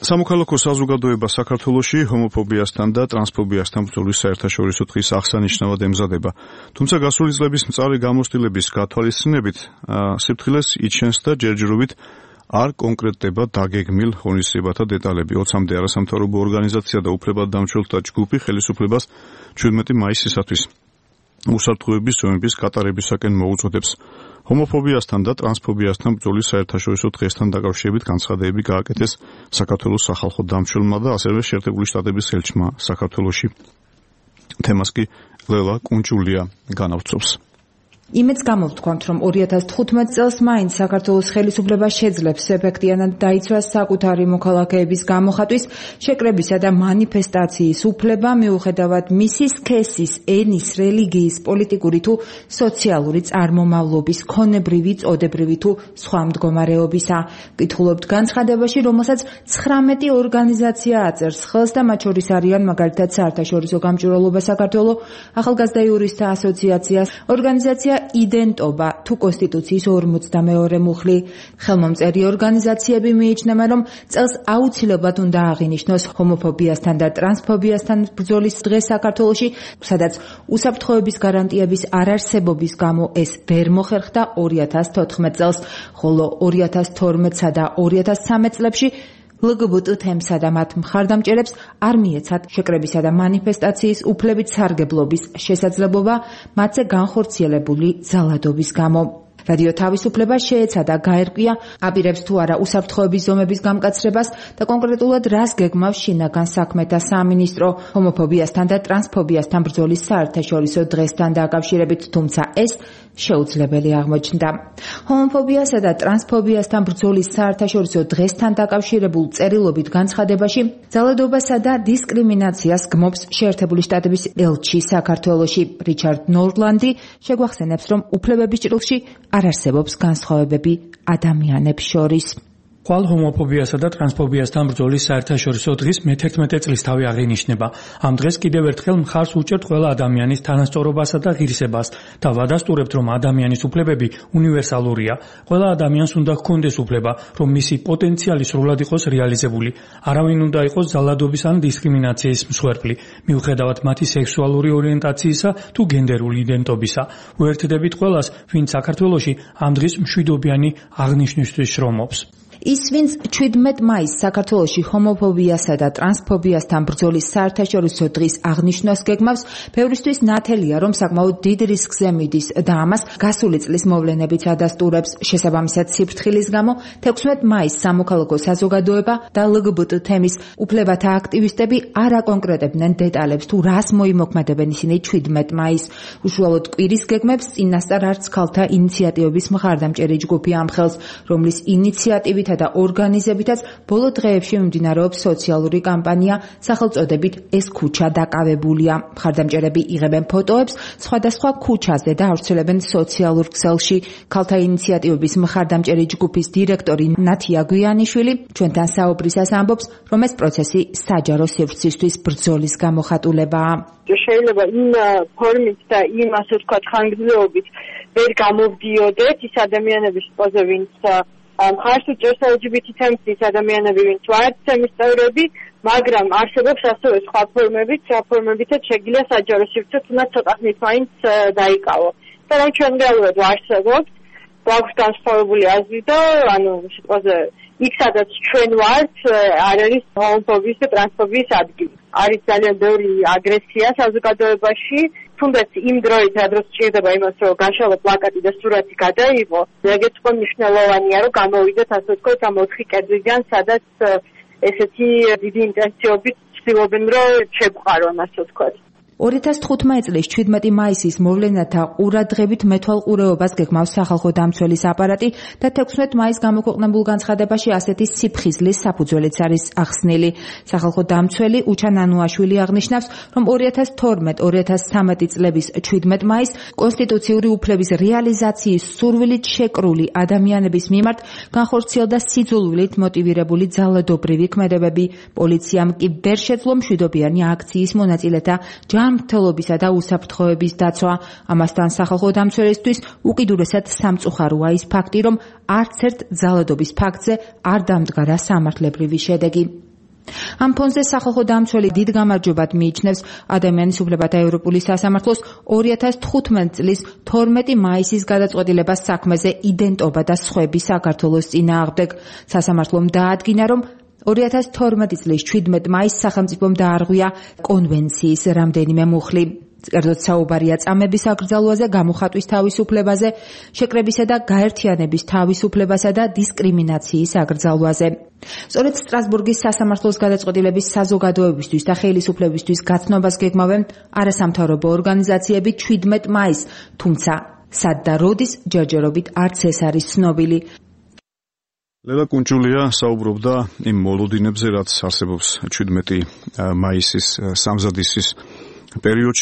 სამოქალაქო საზოგადოება საქართველოში ჰომოფობიასთან და ტრანსფობიასთან ბრძოლის საერთაშორისო დღის აღსანიშნავად ემზადება. თუმცა გასული წლების მწარე გამოცდილების გათვალისწინებით სიფრთხილეს იჩენს და ჯერჯერობით არ კონკრეტდება დაგეგმილ ღონისძიებათა დეტალები. 20-მდე არასამთავრობო ორგანიზაცია და უფლებადდამცველთა ჯგუფი ხელისუფლებას 17 მაისისათვის უსაფრთხოების ზომების გატარებისაკენ მოუწოდებს. ჰომოფობიასთან და ტრანსფობიასთან ბრძოლის საერთაშორისო დღესთან დაკავშირებით განცხადებები გააკეთეს საქართველოს სახალხო დამცველმა და ასევე შეერთებული შტატების ელჩმა საქართველოში. თემას კი ლელა კუნჭულია განავრცობს. იმედს გამოვთქვამთ, რომ 2015 წელს მაინც საქართველოს ხელისუფლება შეძლებს ეფექტიანად დაიცვას საკუთარი მოქალაქეების გამოხატვის, შეკრებისა და მანიფესტაციის უფლება, მიუხედავად მისი სქესის, ენის, რელიგიის, პოლიტიკური თუ სოციალური წარმომავლობის, ქონებრივი, წოდებრივი თუ სხვა მდგომარეობისა. ვკითხულობთ განცხადებაში, რომელსაც 19 ორგანიზაცია აწერს ხელს და მათ შორის არიან მაგალითად საერთაშორისო გამჭვირვალობა საქართველოს, ახალგაზრდა იურისტთა ასოციაცია, ორგანიზაცია იდენტობა თუ კონსტიტუციის 42 მუხლი. ხელმომწერი ორგანიზაციები მიიჩნევენ, რომ წელს აუცილებლად უნდა აღინიშნოს ჰომოფობიასთან და ტრანსფობიასთან ბრძოლის დღე საქართველოში, სადაც უსაფრთხოების გარანტიების არარსებობის გამო ეს ვერ მოხერხდა 2014 წელს, ხოლო 2012-სა და 2013 წლებში LGBT თემსა და მათ მხარდამჭერებს არ მიეცათ შეკრებისა და მანიფესტაციის უფლებით სარგებლობის შესაძლებლობა მათზე განხორციელებული ძალადობის გამო. რადიო თავისუფლება შეეცადა გაერკვია აპირებს თუ არა უსაფრთხოების ზომების გამკაცრებას და კონკრეტულად რას გეგმავს შინაგან საქმეთა სამინისტრო ჰომოფობიასთან და ტრანსფობიასთან ბრძოლის საერთაშორისო დღესთან დაკავშირებით, თუმცა ეს შეუძლებელი აღმოჩნდა. ჰომოფობიასა და ტრანსფობიასთან ბრძოლის საერთაშორისო დღესთან დაკავშირებულ წერილობით განცხადებაში ძალადობასა და დისკრიმინაციას გმობს შეერთებული შტატების ელჩი საქართველოში რიჩარდ ნორლანდი, შეგვახსენებს, რომ უფლებების ჭრილში არ არსებობს განსხვავებები ადამიანებს შორის. ხვალ ჰომოფობიასა და ტრანსფობიასთან ბრძოლის საერთაშორისო დღის მე-11 წლისთავი აღინიშნება. ამ დღეს კიდევ ერთხელ მხარს უჭერთ ყველა ადამიანის თანასწორობასა და ღირსებას და ვადასტურებთ, რომ ადამიანის უფლებები უნივერსალურია. ყველა ადამიანს უნდა ჰქონდეს უფლება, რომ მისი პოტენციალი სრულად იყოს რეალიზებული. არავინ უნდა იყოს ძალადობის ან დისკრიმინაციის მსხვერპლი, მიუხედავად მათი სექსუალური ორიენტაციისა თუ გენდერული იდენტობისა. ვუერთდებით ყველას, ვინც საქართველოში ამ დღის მშვიდობიანი აღნიშვნისთვის შრომობს. ის, ვინც 17 მაისს საქართველოში ჰომოფობიასა და ტრანსფობიასთან ბრძოლის საერთაშორისო დღის აღნიშვნას გეგმავს, ბევრისთვის ნათელია, რომ საკმაოდ დიდ რისკზე მიდის და ამას გასული წლის მოვლენებიც ადასტურებს. შესაბამისად, სიფრთხილის გამო 16 მაისს სამოქალაქო საზოგადოება და LGBT თემის უფლებათა აქტივისტები არ აკონკრეტებდნენ დეტალებს თუ რას მოიმოქმედებენ ისინი 17 მაისს. უშუალოდ კვირის გეგმებს წინასწარ არც ქალთა ინიციატივების მხარდამჭერი ჯგუფი ამხელს, რომლის ინიციატივით და ორგანიზებითაც ბოლო დღეებში მიმდინარეობს სოციალური კამპანია სახელწოდებით ეს ქუჩა დაკავებულია. მხარდამჭერები იღებენ ფოტოებს სხვადასხვა ქუჩაზე და ავრცელებენ სოციალურ ქსელში. ქალთა ინიციატივების მხარდამჭერი ჯგუფის დირექტორი ნათია გვიანიშვილი ჩვენთან საუბრისას ამბობს, რომ ეს პროცესი საჯარო სივრცისთვის ბრძოლის გამოხატულებაა. შეიძლება იმ ფორმით და იმ ასე ვთქვათ ხანგრძლივობით ვერ გამოვდიოდეთ ის ადამიანების პოზა, ვინც მხარს უჭერს LGBT თემის ადამიანები, ვინც ვართ თემის წევრები, მაგრამ არსებობს ასევე სხვა ფორმებიც, ფორმებითაც შეგიძლია საჯარო სივრცეც უნდა ცოტა ხნით მაინც დაიკავო. და რომ ჩვენ რეალურად ვარსებობთ, გვაქვს განსხვავებული აზრი და ანუ სიტყვაზე იქ სადაც ჩვენ ვართ, არ არის ჰომოფობიის და ტრანსფობიის ადგილი. არის ძალიან ბევრი აგრესია საზოგადოებაში, თუნდაც იმ დროით, სადაც ჭირდება იმას, რომ გაშალო პლაკატი და სურათი გადაიღო, ეგეც უკვე მნიშვნელოვანია, რომ გამოვიდეთ ასე ვთქვათ ამ 4 კედლიდან, სადაც ესეთი დიდი ინტენსივობით ცდილობენ, რომ შეგვყარონ ასე ვთქვათ. 2015 წლის 17 მაისის მოვლენათა ყურადღებით მეთვალყურეობას გეგმავს სახალხო დამცველის აპარატი და 16 მაისს გამოქვეყნებულ განცხადებაში ასეთი სიფხიზლის საფუძველიც არის ახსნილი. სახალხო დამცველი უჩან ანუაშვილი აღნიშნავს, რომ 2012-2013 წლების 17 მაისს კონსტიტუციური უფლების რეალიზაციის სურვილით შეკრული ადამიანების მიმართ განხორციელდა სიძულვილით მოტივირებული ძალადობრივი ქმედებები. პოლიციამ კი ვერ შეძლო მშვიდობიანი აქციის მონაწილეთა ჯანმრთელობისა და უსაფრთხოების დაცვა. ამასთან სახალხო დამცველისთვის უკიდურესად სამწუხაროა ის ფაქტი, რომ არც ერთ ძალადობის ფაქტზე არ დამდგარა სამართლებრივი შედეგი. ამ ფონზე სახალხო დამცველი დიდ გამარჯვებად მიიჩნევს ადამიანის უფლებათა ევროპული სასამართლოს 2015 წლის 12 მაისის გადაწყვეტილებას საქმეზე იდენტობა და სხვები საქართველოს წინააღმდეგ. სასამართლომ დაადგინა, რომ 2012 წლის 17 მაისს სახელმწიფომ დაარღვია კონვენციის რამდენიმე მუხლი. კერძოდ საუბარია წამების აკრძალვაზე, გამოხატვის თავისუფლებაზე, შეკრებისა და გაერთიანების თავისუფლებასა და დისკრიმინაციის აკრძალვაზე. სწორედ სტრასბურგის სასამართლოს გადაწყვეტილების საზოგადოებისთვის და ხელისუფლებისთვის გაცნობას გეგმავენ არასამთავრობო ორგანიზაციები 17 მაისს, თუმცა სად და როდის ჯერჯერობით არც ეს არის ცნობილი. ლელა კუნჭულია საუბრობდა იმ მოლოდინებზე, რაც არსებობს 17 მაისის სამზადისის პერიოდში.